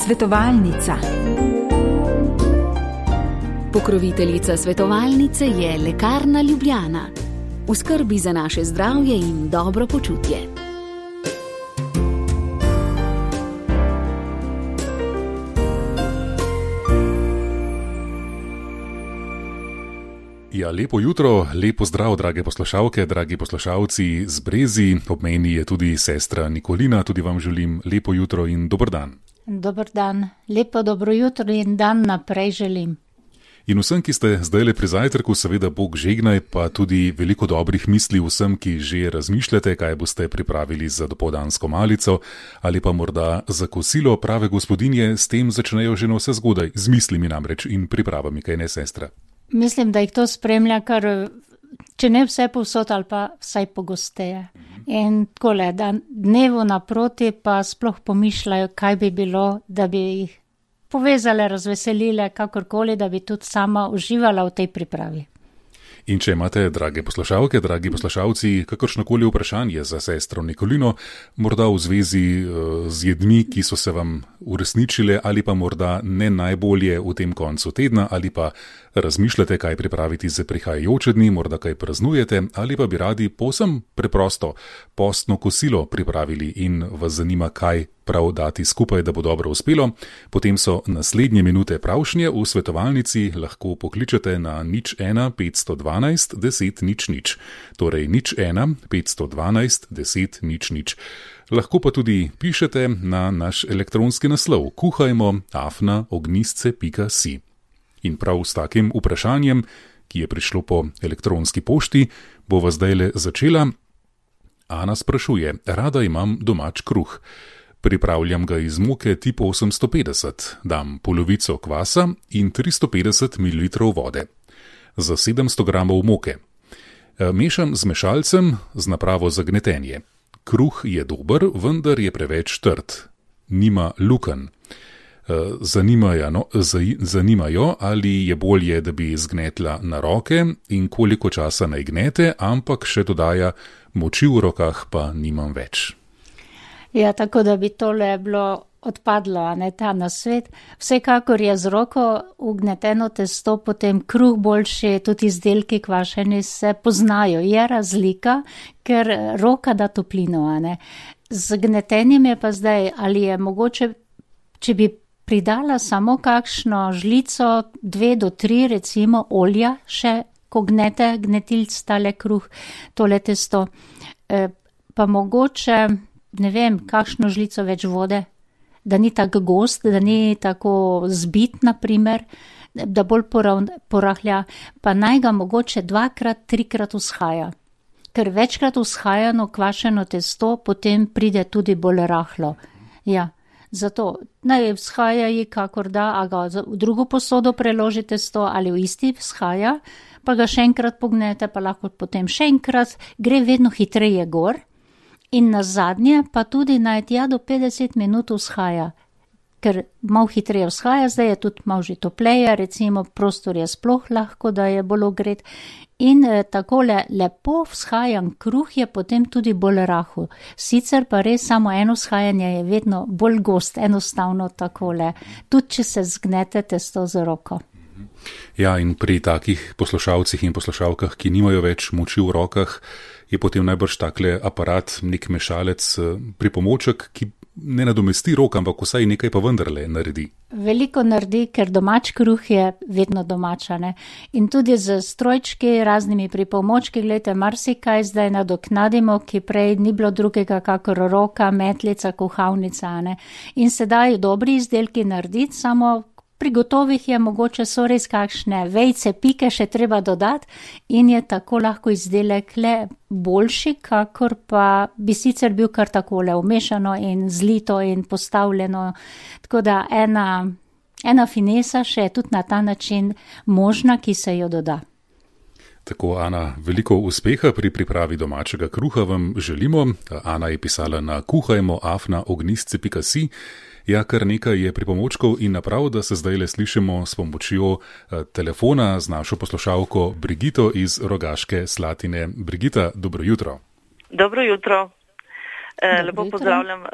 Svetovalnica. Pokroviteljica svetovalnice je Lekarna Ljubljana. V skrbi za naše zdravje in dobro počutje. Ja, lepo jutro, lepo zdrav, drage poslušalke, dragi poslušalci z Brezi. Ob meni je tudi sestra Nikolina, tudi vam želim lepo jutro in dober dan. Dober dan, lepo dobro jutro in dan naprej želim. In vsem, ki ste zdajle pri zajtrku, seveda Bog žegnaj, pa tudi veliko dobrih misli vsem, ki že razmišljate, kaj boste pripravili za dopoldansko malico ali pa morda za kosilo. Prave gospodinje s tem začnejo že na vse zgodaj, z mislimi namreč in pripravami, kaj ne, sestra? Mislim, da jih to spremlja, kar če ne vse povsod ali pa vsaj pogosteje. In takole, da dnevu naproti pa sploh pomišljajo, kaj bi bilo, da bi jih povezale, razveselile, kakorkoli, da bi tudi sama uživala v tej pripravi. In če imate, drage poslušalke, dragi poslušalci, kakršnokoli vprašanje za sestro Nikolino, morda v zvezi z jedmi, ki so se vam uresničile ali pa morda ne najbolje v tem koncu tedna, ali pa razmišljate, kaj pripraviti za prihajajoče dni, morda kaj praznujete, ali pa bi radi povsem preprosto postno kosilo pripravili in vas zanima, kaj prav dati skupaj, da bo dobro uspelo, potem so naslednje minute pravšnje v svetovalnici, lahko pokličete na 01 512 10 00, torej 01 512 10 00. Lahko pa tudi pišete na naš elektronski naslov kuhajmo@ognisce.si. In prav s takim vprašanjem, ki je prišlo po elektronski pošti, bova zdajle začela. Ana sprašuje: rada imam domač kruh. Pripravljam ga iz moke tip 850, dam polovico kvasa in 350 ml vode. Za 700 gramov moke. Mešam z mešalcem z napravo za gnetenje. Kruh je dober, vendar je preveč trd. Nima lukenj. Zanimajo, ali je bolje, da bi zgnetla na roke in koliko časa naj gnete, ampak še dodaja, moči v rokah pa nimam več. Ja, tako da bi tole bilo odpadlo, a ne ta nasvet. Vsekakor je z roko ugneteno testo, potem kruh boljši, tudi izdelki kvašeni se poznajo. Je razlika, ker roka da toplino, a ne. Z gnetenjem je pa zdaj, ali je mogoče, če bi pridala samo kakšno žlico, 2 do 3 recimo olja, še ko gnetilc tale kruh, tole testo, pa mogoče, ne vem, kakšno žlico več vode, da ni tako gost, da ni tako zbit, naprimer, da bolj porahlja, pa naj ga mogoče 2-krat, 3-krat vzhaja. Ker večkrat vzhajano kvašeno testo, potem pride tudi bolj rahlo. Ja, zato naj vzhaja ji kakor da, a ga v drugo posodo preloži testo ali v isti vzhaja, pa ga še enkrat pognete, pa lahko potem še enkrat, gre vedno hitreje gor. In na zadnje pa tudi naj tja do 50 minut vzhaja, ker malo hitreje vzhaja, zdaj je tudi malo že topleje, recimo prostor je sploh lahko, da je bolj ogret. In takole lepo vzhajan kruh je potem tudi bolj rahel. Sicer pa res samo eno vzhajanje je vedno bolj gost, enostavno takole, tudi če se zgnete testo z roko. Ja, in pri takih poslušalcih in poslušalkah, ki nimajo več moči v rokah, je potem najbrž takle aparat, nek mešalec, pripomoček, ki ne nadomesti rok, ampak vsaj nekaj pa vendarle naredi. Veliko naredi, ker domač kruh je vedno domačane. In tudi z strojčki, raznimi pripomočki, gledajte, marsikaj zdaj nadoknadimo, ki prej ni bilo drugega kakor roka, metlica, kuhalnica, ne. In se dajo dobri izdelki narediti, samo pri gotovih je mogoče so res kakšne vejce, pike še treba dodati in je tako lahko izdelek le boljši, kakor pa bi sicer bil kar takole umešano in zlito in postavljeno. Tako da ena finesa še je tudi na ta način možna, ki se jo doda. Tako, Ana, veliko uspeha pri pripravi domačega kruha vam želimo. Ana je pisala na kuhajmo@ognisce.si. Ja, kar nekaj je pripomočkov in naprav, da se zdajle slišimo s pomočjo telefona z našo poslušalko Brigito iz Rogaške Slatine. Brigita, dobro jutro. Dobro jutro. Lepo pozdravljam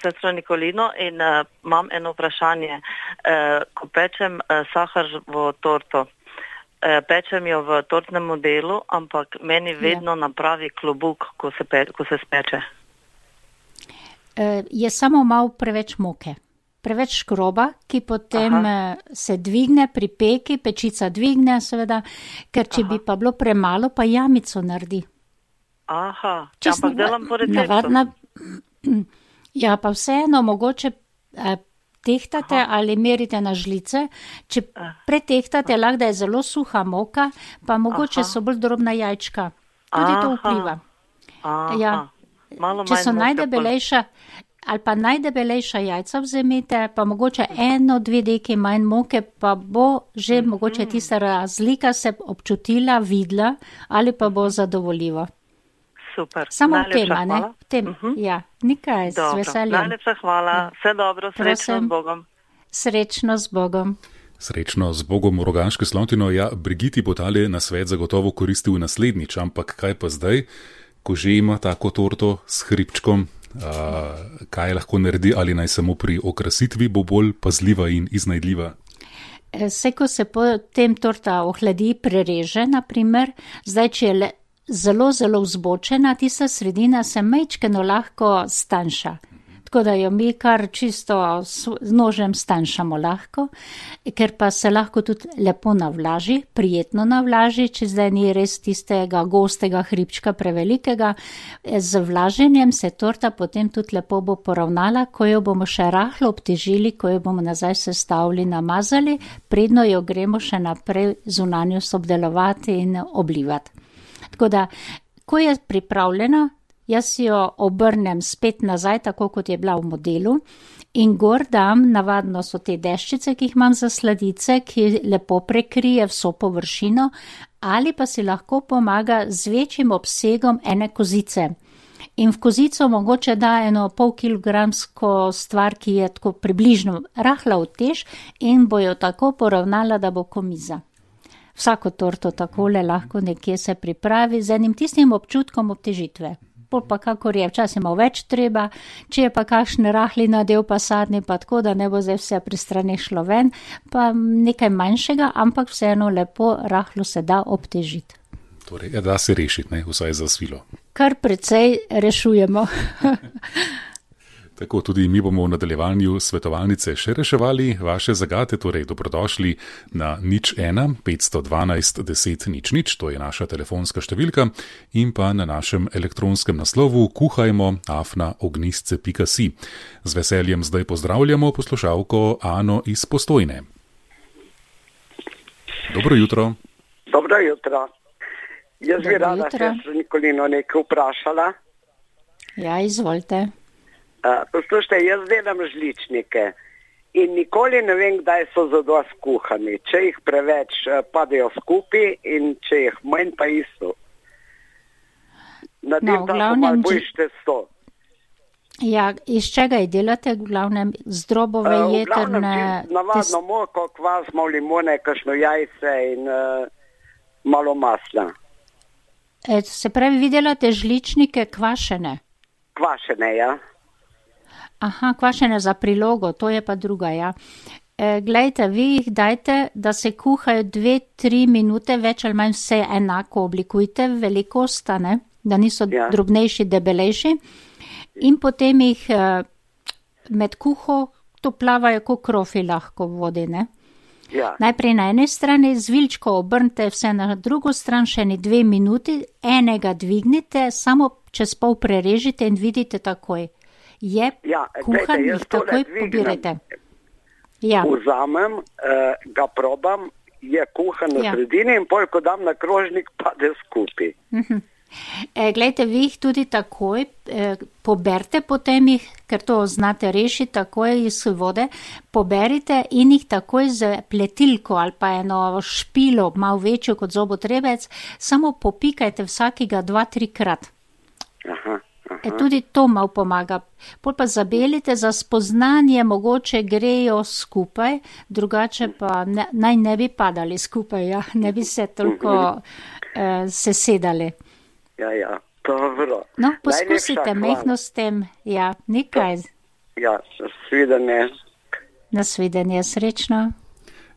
sestro Nikolino in imam eno vprašanje. Ko pečem saharjevo torto, pečem jo v tortnem modelu, ampak meni vedno napravi klobuk, ko se speče. Je samo malo preveč moke. Preveč škroba, ki potem se dvigne pri peki, pečica dvigne seveda, ker če bi pa bilo premalo, pa jamico naredi. Ampak delam po receptu. Ja, pa vseeno mogoče tehtate ali merite na žlice. Če pretehtate, lahko da je zelo suha moka, pa mogoče so bolj drobna jajčka. Tudi to vpliva. Če so najdebelejša, ali pa najdebelejša jajca vzemite, pa mogoče 1-2 deki manj moke, pa bo že mogoče tista razlika se občutila, videla, ali pa bo zadovoljivo. Super. Samo v tem, ne? V tem, ja. Nikaj, z veseljem. Najlepša hvala. Vse dobro, srečno z Bogom. Srečno z Bogom. Srečno z Bogom v Rogaški Slatini. Ja, Brigiti bo tale nasvet zagotovo koristil naslednjič, ampak kaj pa zdaj, ko že ima tako torto s hribčkom, kaj lahko naredi, ali naj samo pri okrasitvi bo bolj pazljiva in iznajdljiva? Vse, ko se potem torta ohladi, prereže, naprimer, zdaj, če je zelo, zelo vzbočena, tista sredina se majčkeno lahko stanjša. Tako da jo mi kar čisto z nožem stanjšamo lahko, ker pa se lahko tudi lepo navlaži, prijetno navlaži, če zdaj ni res tistega gostega hribčka prevelikega. Z vlaženjem se torta potem tudi lepo bo poravnala, ko jo bomo še rahlo obtežili, ko jo bomo nazaj sestavili, namazali, predno jo gremo še naprej zunanjost obdelovati in oblivati. Tako da, ko je pripravljena, jaz jo obrnem spet nazaj, tako kot je bila v modelu, in gor dam, navadno so te deščice, ki jih imam za sladice, ki lepo prekrije vso površino, ali pa si lahko pomaga z večjim obsegom ene kozice. In v kozico mogoče da 0,5 kilogramsko stvar, ki je tako približno rahla utež in bo jo tako poravnala, da bo komiza. Vsako torto takole lahko nekje se pripravi z enim tistim občutkom obtežitve. Pol pa kakor je, včasih malo več treba, če je pa kakšen rahli nadev pa sadni, pa tako, da ne bo zdaj vse pri strani šlo ven, pa nekaj manjšega, ampak vseeno lepo rahlo se da obtežiti. Torej, da se rešiti, ne, vsaj za svilo. Kar precej rešujemo. Tako, tudi mi bomo v nadaljevanju svetovalnice še reševali vaše zagate, torej dobrodošli na 01 512 10 00, to je naša telefonska številka, in pa na našem elektronskem naslovu kuhajmo@ognisce.si. Z veseljem zdaj pozdravljamo poslušalko Ano iz Postojne. Dobro jutro. Dobro jutro. Jaz bi rada sestro Nikolino nekaj vprašala. Ja, izvolite. Poslušajte, jaz delam žličnike in nikoli ne vem, kdaj so zadosti kuhani. Če jih preveč padejo skupaj in če jih manj pa isto. Nadim tako malo boljš testo. Ja, iz čega je delate? V glavnem zdrobove, jetrne? Navadno moko, kvas, malo limone, kakšno jajce in malo masla. Se pravi, vi delate žličnike kvašene? Kvašene, ja. Aha, kvašene za prilogo, to je pa druga, ja. Glejte, vi jih dajte, da se kuhajo 2-3 minute, več ali manj vse enako oblikujte, velikost, ne, da niso drobnejši, debelejši. In potem jih med kuho to plavajo kot krofi lahko v vodi, ne. Ja. Najprej na eni strani z viljčko obrnite vse na drugo stran, še 2 minuti, enega dvignite, samo čez pol prerežite in vidite takoj. Je kuhan, jih takoj pobirajte. Ja. Vzamem, ga probam, je kuhan na sredini in pol, ko dam na krožnik, pade skupaj. Glejte, vi jih tudi takoj poberite, potem jih, ker to znate rešiti takoj iz vode, poberite in jih takoj z pletilko ali pa eno špilo, malo večjo kot zobotrebec, samo popikajte vsakega 2-3 krat. Aha. Tudi to malo pomaga. Pol pa zabelite, za spoznanje mogoče grejo skupaj, drugače pa naj ne bi padali skupaj, ja, ne bi se toliko sesedali. Ja. Dobro. No, poskusite Najlepša hvala. mehno s tem. Ja, nekaj. Ja, svidenje. Nasvidenje, srečno.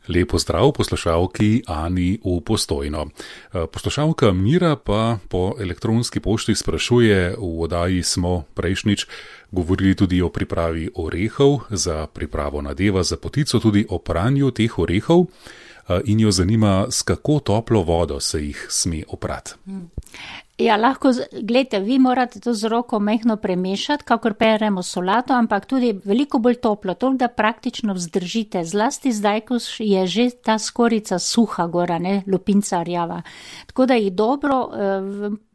Lepo zdrav poslušalki Ani v Postojno. Poslušalka Mira pa po elektronski pošti sprašuje, v oddaji smo prejšnjič govorili tudi o pripravi orehov za pripravo nadeva za potico, tudi o pranju teh orehov in jo zanima, s kako toplo vodo se jih sme oprati. Ja, lahko, gledajte, vi morate to z roko mehno premešati, kakor peremo solato, ampak tudi veliko bolj toplo, toliko da praktično vzdržite, zlasti zdaj, ko je že ta skorica suha gora, ne, lupinca rjava. Tako da jih dobro,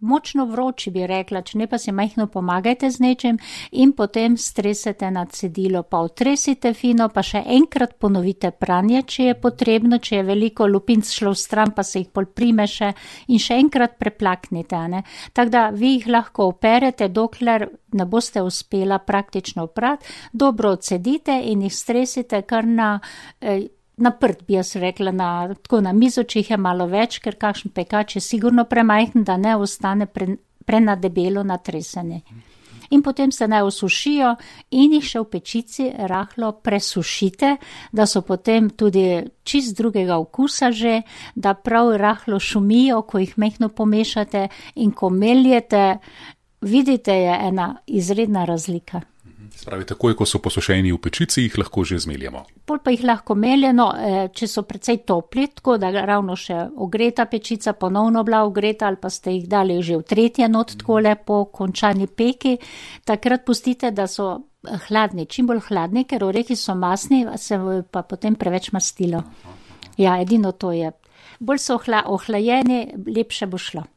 močno vroči bi rekla, če ne pa si mehno pomagajte z nečem in potem stresete na cedilo, pa otresite fino, pa še enkrat ponovite pranje, če je potrebno, če je veliko lupinc šlo v stran, pa se jih pol primeše in še enkrat preplaknite, ne. Tako da vi jih lahko operete, dokler ne boste uspela praktično oprati, dobro odcedite in jih stresite kar na prd, bi jaz rekla, tako na mizo, če jih je malo več, ker kakšen pekač je sigurno premajhen, da ne ostane prenadebelo natresene. In potem se naj osušijo in jih še v pečici rahlo presušite, da so potem tudi čist drugega okusa že, da prav rahlo šumijo, ko jih mehno pomešate in ko meljete, vidite, je ena izredna razlika. Spravi, takoj, ko so posušeni v pečici, jih lahko že zmeljemo. Pol pa jih lahko meljeno, če so precej topli, tako da ravno še ogreta pečica, ponovno bila ogreta ali pa ste jih dali že v tretje not, takole po končani peki, takrat pustite, da so hladni, čim bolj hladni, ker orehi so masni, se pa potem preveč mastilo. Ja, edino to je. Bolj so ohlajeni, lepše bo šlo.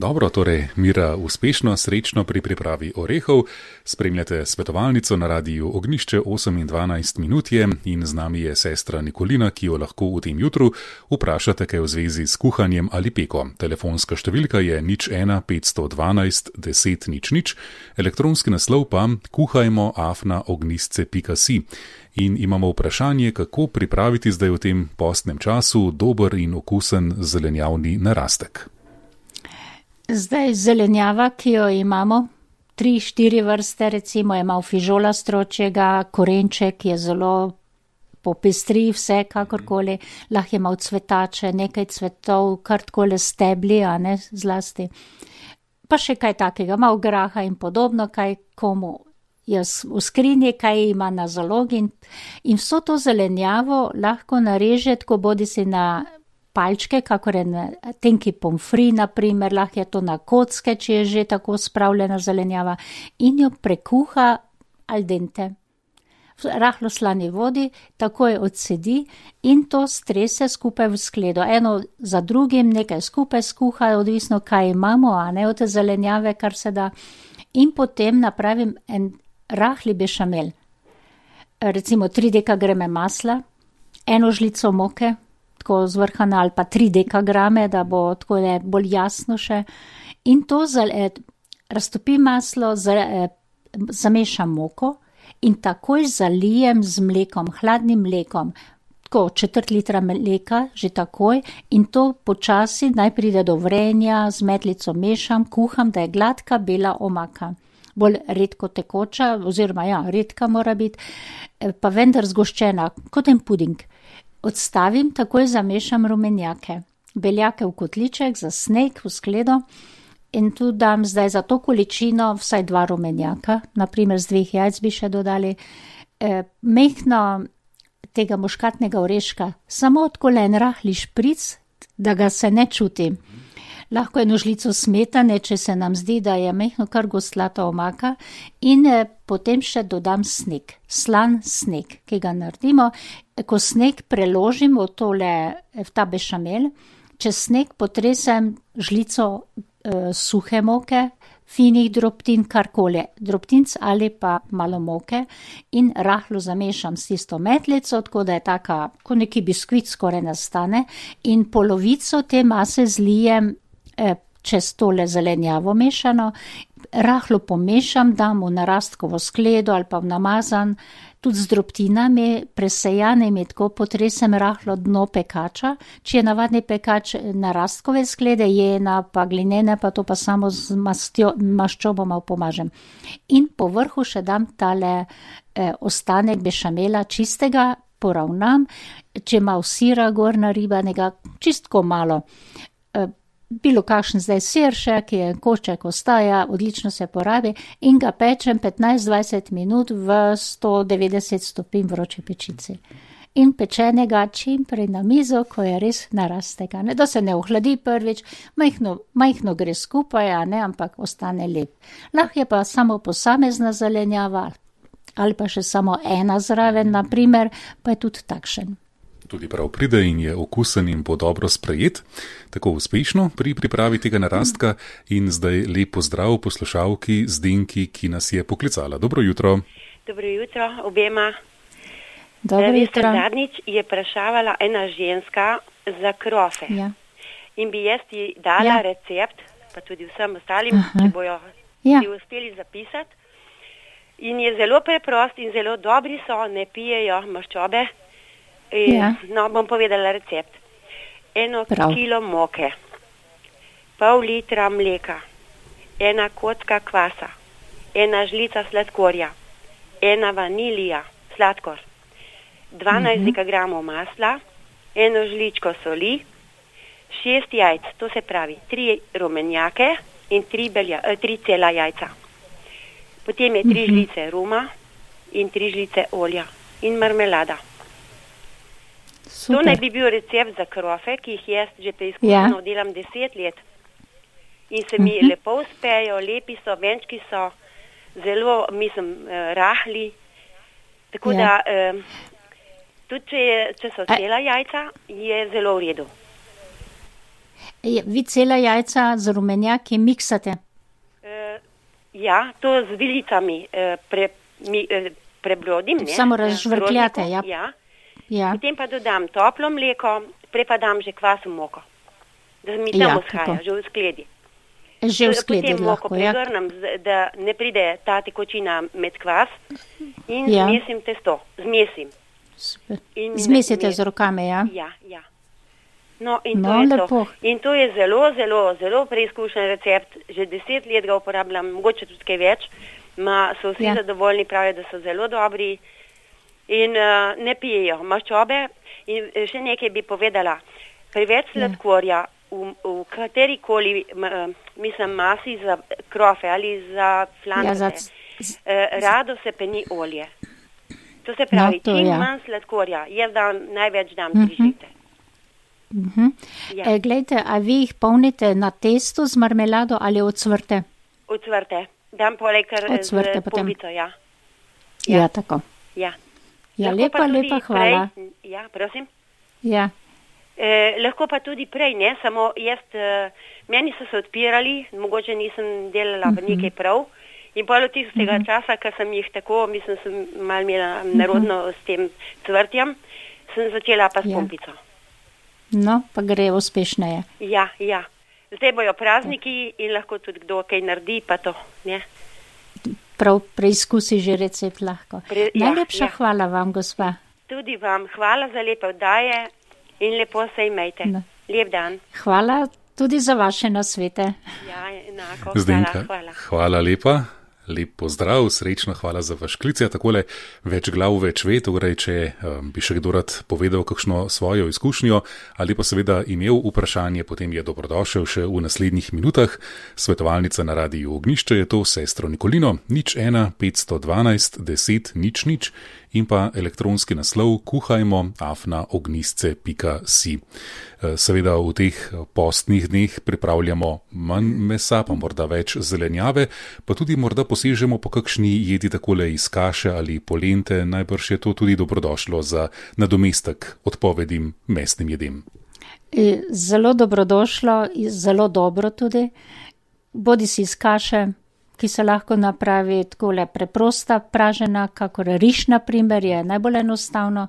Dobro, torej Mira uspešno, srečno pri pripravi orehov. Spremljate svetovalnico na radiju Ognišče, 8:12 minut je in z nami je sestra Nikolina, ki jo lahko v tem jutru vprašate kaj v zvezi s kuhanjem ali peko. Telefonska številka je 01 512 10 00, elektronski naslov pa kuhajmo@ognisce.si. In imamo vprašanje, kako pripraviti zdaj v tem postnem času dober in okusen zelenjavni narastek. Zdaj zelenjava, ki jo imamo, 3-4 vrste, recimo je malo fižola stročjega, korenček je zelo popestri, vse kakorkoli, lahko je malo cvetače, nekaj cvetov, kar takole stebli, a ne zlasti. Pa še kaj takega, malo graha in podobno, kaj komu je v skrinji, kaj ima na zalogi in vso to zelenjavo lahko nareže, tako bodi si na palčke, kakor je tenki pomfri, naprimer, lahko je to na kocke, če je že tako spravljena zelenjava in jo prekuha al dente. V rahlo slani vodi, takoj odsedi in to strese skupaj v skledo. Eno za drugim nekaj skupaj skuha, odvisno kaj imamo, a ne od te zelenjave, kar se da. In potem napravim en rahli bešamel. Recimo 3 dekagrame masla, 1 žlico moke, tako zvrhana ali pa 3 dekagrame, da bo tako bolj jasno še. In to raztopim maslo, zamešam moko in takoj zalijem z mlekom, hladnim mlekom. Tako 1/4 litra mleka, že takoj in to počasi naj pride do vrenja, z metlico mešam, kuham, da je gladka bela omaka. Bolj redko tekoča, oziroma ja, redka mora biti, pa vendar zgoščena, kot en puding. Odstavim, takoj zamešam rumenjake, beljake v kotliček za sneg v skledo in tu dam zdaj za to količino vsaj 2 rumenjaka, naprimer z 2 jajc bi še dodali, mehno tega muškatnega oreška, samo takole en rahli špric, da ga se ne čuti. Lahko 1 žlico smetane, če se nam zdi, da je mehno kar goslata omaka in potem še dodam sneg, slan sneg, ki ga naredimo. Ko sneg preložim v ta bešamel, čez sneg potresem žlico suhe moke, finih drobtin, karkoli, drobtinc ali pa malo moke in rahlo zamešam s tisto metlico, tako da je taka, ko neki biskvit skoraj nastane in polovico te mase zlijem čez tole zelenjavo mešano, rahlo pomešam, dam v narastkovo skledo ali pa v namazan, tudi z drobtinami, presejanimi, tako potresem rahlo dno pekača. Če je navadni pekač narastkove sklede, jena pa glinene, pa to pa samo z maščobo malo pomažem. In po vrhu še dam tale ostanek bešamela čistega, poravnam, če malo sira gor naribanega, čistko malo. Bilo kakšen zdaj sir še, ki je košček ostaja, odlično se porabi in ga pečem 15-20 minut v 190 stopinj vroče pečici. In pečenega čim prej na mizo, ko je res narastega. Ne, da se ne ohladi prvič, majhno gre skupaj, ampak ostane lep. Lahko je pa samo posamezna zelenjava ali pa še samo ena zraven, naprimer, pa je tudi takšen. Tudi prav pride in je okusen in bo dobro sprejet, tako uspešno pri pripravi tega narastka in zdaj lep pozdrav poslušalki Zdenki, ki nas je poklicala. Dobro jutro. Dobro jutro obema. Dobro jutro. Zadnjič je vprašavala ena ženska za krofe. Ja. In bi jaz ti dala recept, pa tudi vsem ostalim, ki bojo si uspeli zapisati. In je zelo preprost in zelo dobri so, ne pijejo maščobe. No, bom povedala recept. 1 kilo moke, pol litra mleka, 1 kocka kvasa, 1 žlica sladkorja, 1 vanilija, sladkor, 12 dekagramov masla, 1 žličko soli, 6 jajc, to se pravi 3 rumenjake in 3 cela jajca. Potem je 3 žlice ruma in 3 žlice olja in marmelada. Super. To naj bi bil recept za krofe, ki jih jaz že preizkušeno delam 10 let. In se mi lepo uspejo, lepi so, venčki so, zelo, rahli. Tako da, tudi če so cela jajca, je zelo v redu. Vi cela jajca z rumenjaki miksate? Ja, to z vilicami prebrodim. Samo razžvrkljate, ja. Ja. Potem pa dodam toplo mleko, prej pa dam že kvasno moko, da mi tam vzhaja, že v skledi. Že v skledi potem lahko, moko pregrnem, da ne pride ta tekočina med kvas in zmesim testo. Super. Zmesite z rokami, ja? Ja. No, in to je lepo. to. In to je zelo, zelo, zelo preizkušen recept. Že 10 let ga uporabljam, mogoče tudi kaj več. So vsi zadovoljni, pravijo, da so zelo dobri. In ne pijejo maščobe. In še nekaj bi povedala. Preveč sladkorja v katerikoli masi za krofe ali za flancate, rado se peni olje. To se pravi, čim manj sladkorja. Jaz največ dam 3 žlice. Glejte, a vi jih polnite na testu z marmelado ali ocvrte? Ocvrte. Dam poleg kar z pumbico, Ja, tako. Ja. Ja, lepa, hvala. Ja, prosim. Ja. Lahko pa tudi prej, ne, samo jaz, meni so se odpirali, mogoče nisem delala nekaj prav in pol od tistega časa, ko sem jih tako, sem malo imela narodno s tem cvrtjem, sem začela pa s pumpico. No, pa gre uspešneje. Ja. Zdaj bojo prazniki in lahko tudi kdo kaj naredi, pa to, ne. Prav preizkusi že recept lahko. Najlepša hvala vam, gospa. Tudi vam. Hvala za lepe oddaje in lepo se imejte. Lep dan. Hvala tudi za vaše nasvete. Ja, enako. Zdenka, hvala. Hvala lepa. Lep pozdrav, srečno, hvala za vaš klic. Takole več glav, več ve, torej, če bi še kdo rad povedal kakšno svojo izkušnjo ali pa seveda imel vprašanje, potem je dobrodošel še v naslednjih minutah. Svetovalnica na Radiu Ognjišče je to sestro Nikolino, 01 512 10 00 in pa elektronski naslov kuhajmo@ognisce.si. Seveda v teh postnih dneh pripravljamo manj mesa, pa morda več zelenjave, pa tudi morda posežemo po kakšni jedi takole iz kaše ali polente, najbrž je to tudi dobrodošlo za nadomestek odpovedim mesnim jedem. Zelo dobrodošlo, zelo dobro tudi, bodi si iz kaše, ki se lahko napravi takole preprosta pražena, kakor riž na primer, je najbolj enostavno.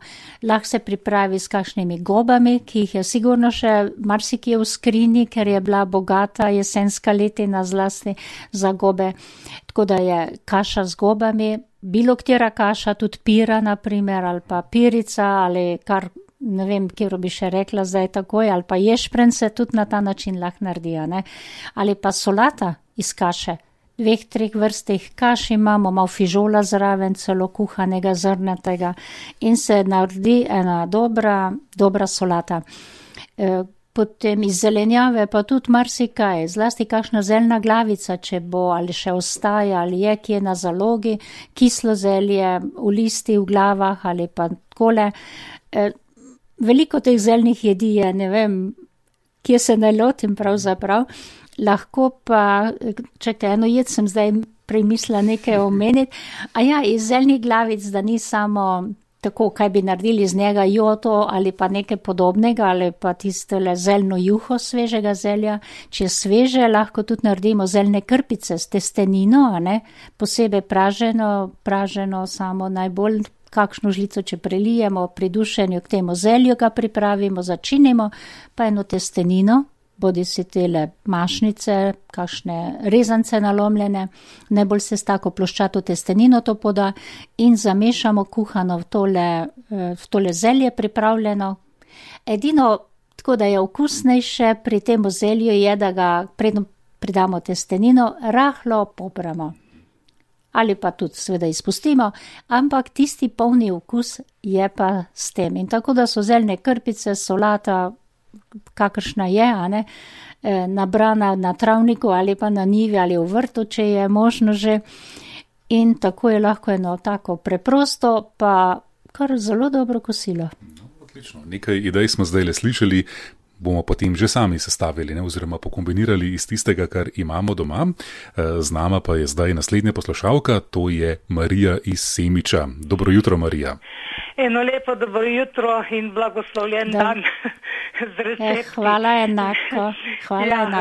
Lahko se pripravi s kakšnimi gobami, ki jih je sigurno še marsikje v skrinji, ker je bila bogata jesenska letina zlasti za gobe. Tako da je kaša z gobami, bilo katera kaša, tudi pira na primer, ali pa pirica, ali kar, ne vem, kjer bi še rekla zdaj takoj, ali pa ješprenj se tudi na ta način lahko naredijo, ne. Ali pa solata iz kaše. 2-3 vrstih kaš imamo, malo fižola zraven, celo kuhanega zrnatega in se naredi ena dobra solata. Potem iz zelenjave pa tudi marsikaj, zlasti kakšna zeljna glavica, če bo ali še ostaja, ali je kje na zalogi, kislo zelje v listi v glavah ali pa takole. Veliko teh zeljnih jedi je, ne vem, kje se ne lotim pravzaprav. Lahko pa, čakaj, eno jed sem zdaj premislila nekaj omeniti. Iz zeljnih glavic, da ni samo tako, kaj bi naredili z njega, joto ali pa nekaj podobnega, ali pa tistele zeljno juho svežega zelja. Če je sveže, lahko tudi naredimo zeljne krpice s testenino, a ne, posebej praženo samo najbolj, kakšno žlico, če prelijemo pri dušenju k temu zelju, ga pripravimo, začinimo, pa eno testenino, bodi si tele mašnice, kakšne rezance nalomljene, najbolj se s tako ploščato testenino to poda in zamešamo kuhano v tole zelje pripravljeno. Edino, tako da je okusnejše pri tem zelju je, da ga predno pridamo testenino, rahlo popramo. Ali pa tudi seveda izpustimo, ampak tisti polni okus je pa s tem. In tako da so zeljne krpice, solata, kakršna je, a ne, nabrana na travniku ali pa na njivi ali v vrtu, če je možno že. In tako je lahko eno tako preprosto, pa kar zelo dobro kosilo. No, odlično. Nekaj idej smo zdaj le slišali, bomo potem že sami sestavili, ne, oziroma pokombinirali iz tistega, kar imamo doma. Z nama pa je zdaj naslednja poslušalka, to je Marija iz Semiča. Dobro jutro, Marija. Eno lepo dobro jutro in blagoslovljen dan z recepti. Hvala enako.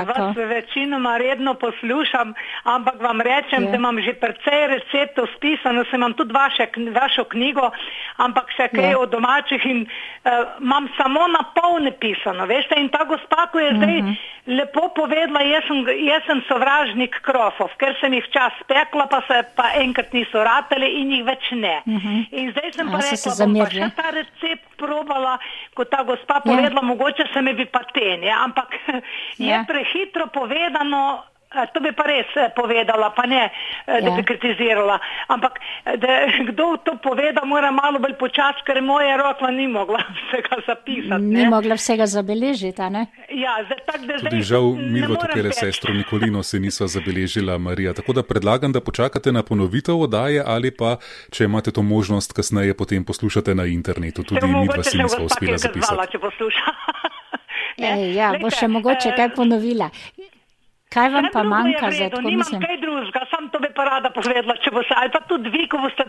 Vas večinoma redno poslušam, ampak vam rečem, da imam že precej receptov spisano, sem imam tudi vašo knjigo, ampak še kaj od domačih in imam samo na pol napisano, veste, in ta gospa, ko je zdaj lepo povedala, jaz sem sovražnik krofov, ker sem jih včas pekla, pa se pa enkrat niso ratali in jih več ne. In zdaj sem pa rekla, bom pa še ta recept probala, ko ta gospa povedala, mogoče se mi bi pa ampak je prehitro povedano, to bi pa res povedala, pa ne, da bi kritizirala. Ampak, da kdo to poveda, mora malo bolj počas, ker moja roka ni mogla vsega zapisati. Ni mogla vsega zabeležiti, a ne? Ja, tako da zdaj... Tudi žal, midva tukaj sestro Nikolino se niso zabeležila, Marija. Tako da predlagam, da počakate na ponovitev oddaje ali pa, če imate to možnost, kasneje potem poslušate na internetu. Tudi midva si nisva uspela zapisati. Bo še mogoče kaj ponovila. Kaj vam pa manjka za tako, mislim? Nimam kaj drugega, sam to bi pa rada povedala, če bo se, ali pa tudi vi, ko boste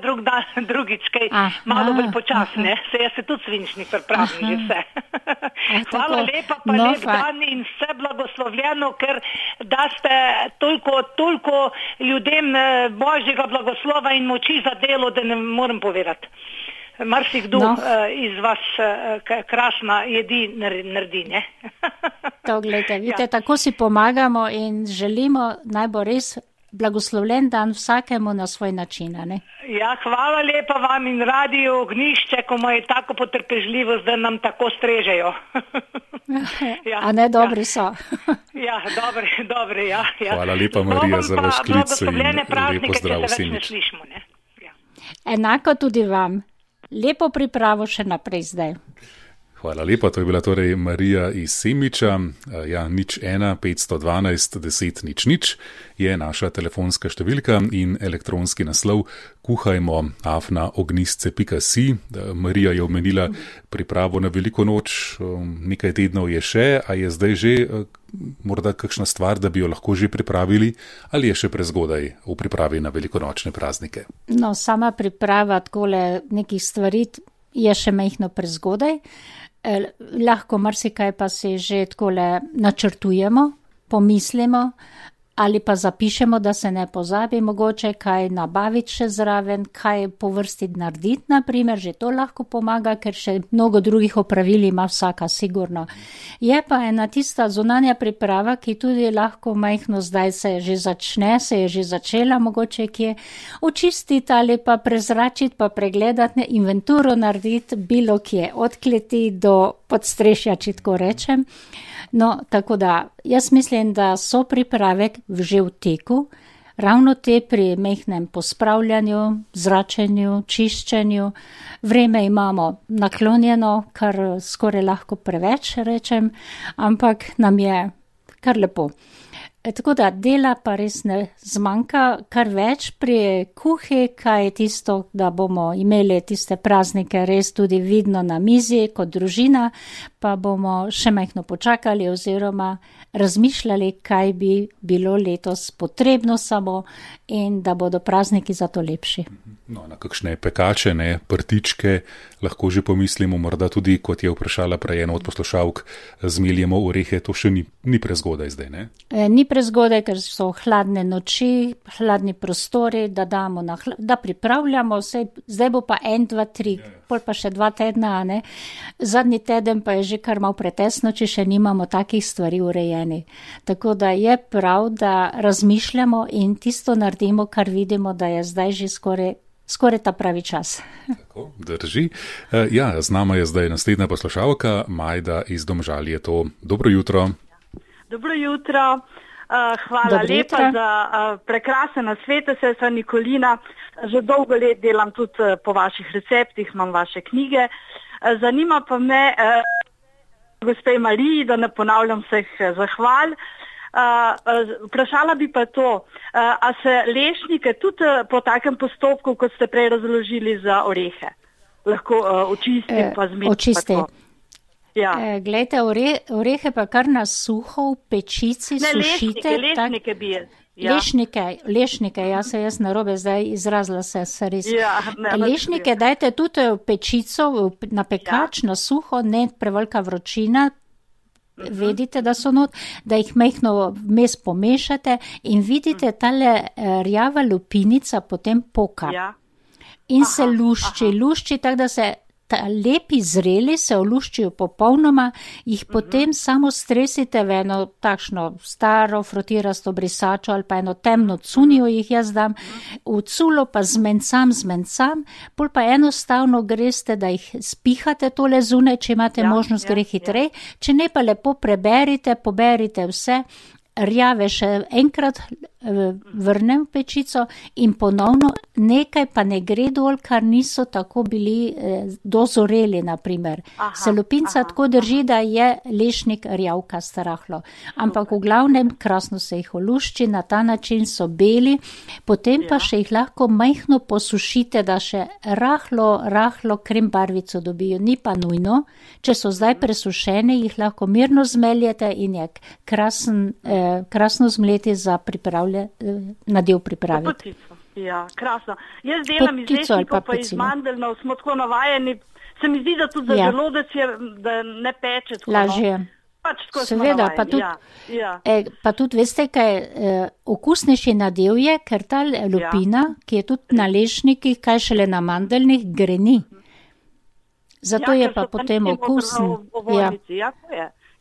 drugič kaj malo bolj počasne, se jaz se tudi svinčnik pripravim že vse. Hvala lepa, pa lep dan in vse blagoslovljeno, ker da ste toliko ljudem Božjega blagoslova in moči za delo, da ne morem povedati. Marsikdo iz vas krasna jedi naredi, ne? To, gledajte, vidite, tako si pomagamo in želimo naj bo res blagoslovljen dan vsakemu na svoj način, ne? Ja, hvala lepa vam in Radio Ognjišče, ko imajo tako potrpežljivost, da nam tako strežejo. Ja, a ne, dobri so. Ja, dobri, ja. Hvala lepa, Marija, za vaš klic in lepo zdrav Semič. Enako tudi vam. Lepo pripravo še naprej zdaj. Hvala lepa, to je bila torej Marija iz Semiča. 01 512 10 00 je naša telefonska številka in elektronski naslov kuhajmo@ognistce.si. Marija je omenila pripravo na veliko noč, nekaj tednov je še, a je zdaj že morda kakšna stvar, da bi jo lahko že pripravili, ali je še prezgodaj v pripravi na velikonočne praznike? No, sama priprava takole nekih stvari je še majhno prezgodaj. Lahko marsikaj pa si že takole načrtujemo, pomislimo, ali pa zapišemo, da se ne pozabi mogoče kaj nabaviti še zraven, kaj po vrsti narediti, naprimer, že to lahko pomaga, ker še mnogo drugih opravil ima vsaka sigurno. Je pa ena tista zunanja priprava, ki tudi lahko majhno zdaj se je že začela mogoče kje očistiti ali pa prezračiti, pa pregledati, inventuro narediti bilo kje, od kleti do podstrešja, če tako rečem. No, tako da, jaz mislim, da so priprave že v teku, ravno te pri mehnem pospravljanju, zračenju, čiščenju. Vreme imamo naklonjeno, kar skoraj lahko preveč rečem, ampak nam je kar lepo. Tako da dela pa res ne zmanjka, kar več pri kuhi, kaj je tisto, da bomo imeli tiste praznike res tudi vidno na mizi kot družina, pa bomo še majhno počakali oziroma razmišljali, kaj bi bilo letos potrebno samo in da bodo prazniki zato lepši. No, na kakšne pekače, ne, prtičke, lahko že pomislimo, morda tudi, kot je vprašala prej ena od poslušalk, zmeljemo orehe, to še ni prezgodaj zdaj, ne? Ni prezgodaj, ker so hladne noči, hladni prostori, da pripravljamo, zdaj bo pa 1, 2, 3, pol pa še 2 tedna, ne? Zadnji teden pa je že kar malo pretesno, če še nimamo takih stvari urejeni. Tako da je prav, da razmišljamo in tisto naredimo, kar vidimo, da je zdaj že skoraj ta pravi čas. Tako, drži. Ja, z nama je zdaj naslednja poslušalka, Majda iz Domžal je to. Dobro jutro. Dobro jutro. Hvala lepa za prekrasen nasvet, sestra Nikolina. Že dolgo let delam tudi po vaših receptih, imam vaše knjige. Zanima pa me, gospe Mariji, da ne ponavljam vseh zahval. Vprašala bi pa to, a se lešnike tudi po takem postopku, kot ste prej razložili za orehe, lahko očistim pa zmetim? Očisti. Ja. Glejte, orehe pa kar na suho v pečici sušite. Lešnike bi je. Ja. Lešnike, jaz narobe zdaj izrazila se res. Ja, lešnike dajte tudi v pečico, na pekač, na suho, ne prevelika vročina, vedite, da so not, da jih majhno vmes pomešate in vidite, tale rjava lupinica potem poka. Ja. In se lušči, tako da se lepi zreli, se oluščijo popolnoma, jih potem samo stresite v eno takšno staro frotirasto brisačo ali pa eno temno cunijo jih jaz dam, v culo pa zmencam, pol pa enostavno greste, da jih spihate tole zunaj, če imate možnost, gre hitrej, če ne pa lepo poberite vse, rjave še enkrat vrnem v pečico in ponovno nekaj pa ne gre dol, kar niso tako bili dozoreli, naprimer. Se lupinca tako drži, da je lešnik rjavka starahlo. Ampak v glavnem krasno se jih olušči, na ta način so beli, potem pa še jih lahko majhno posušite, da še rahlo krem barvico dobijo. Ni pa nujno, če so zdaj presušeni, jih lahko mirno zmeljete in je krasno zmleti za nadev pripraviti. Ja, krasno. Jaz delam iz lešnikov pa iz mandeljnov, smo tako navajeni. Se mi zdi, da tudi za želodec je, da ne peče tako. Lažje. Pač tako seveda, pa tudi veste, kaj okusnejši nadev je, ker ta lupina, ki je tudi na lešnikih, kaj šele na mandeljnih, greni. Zato je pa potem okusen.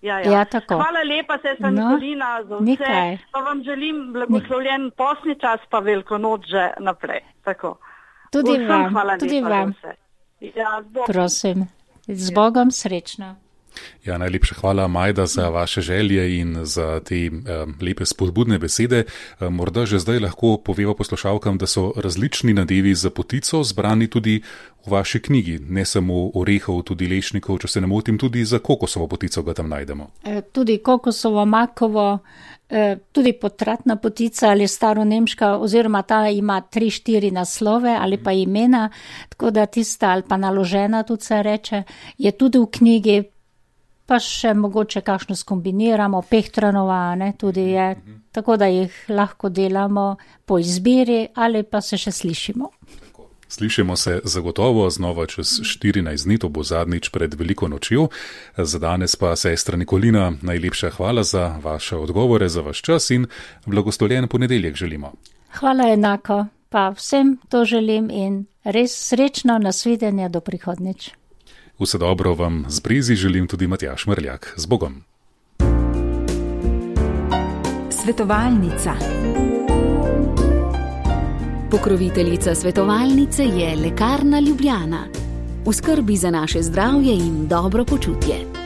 Ja, tako. Hvala lepa, sestra Nikolina, za vse. Pa vam želim blagoslovljen postni čas, pa veliko noč že naprej. Tako. Tudi vam. Ja, prosim, z Bogom srečno. Ja, najlepša hvala, Majda, za vaše želje in za te lepe spodbudne besede. Morda že zdaj lahko poveva poslušalkam, da so različni nadevi za potico zbrani tudi v vaši knjigi. Ne samo orehov, tudi lešnikov, če se ne motim, tudi za kokosovo potico ga tam najdemo. Tudi kokosovo, makovo, tudi potratna potica ali staronemška, oziroma ta ima 3-4 naslove ali pa imena, tako da tista ali pa naložena, tudi se reče, je tudi v knjigi. Pa še mogoče kakšno skombiniramo, pehtranova, tudi je, tako da jih lahko delamo po izbiri ali pa se še slišimo. Slišimo se zagotovo znova čez 14 dni, to bo zadnjič pred veliko nočjo. Za danes pa sestra Nikolina, najlepša hvala za vaše odgovore, za vaš čas in blagoslovljen ponedeljek želimo. Hvala enako, pa vsem to želim in res srečno nasvidenje do prihodnič. Vse dobro vam z Brezi želim tudi Matjaž Mrljak. Z Bogom. Svetovalnica. Pokroviteljica svetovalnice je Lekarna Ljubljana. V skrbi za naše zdravje in dobro počutje.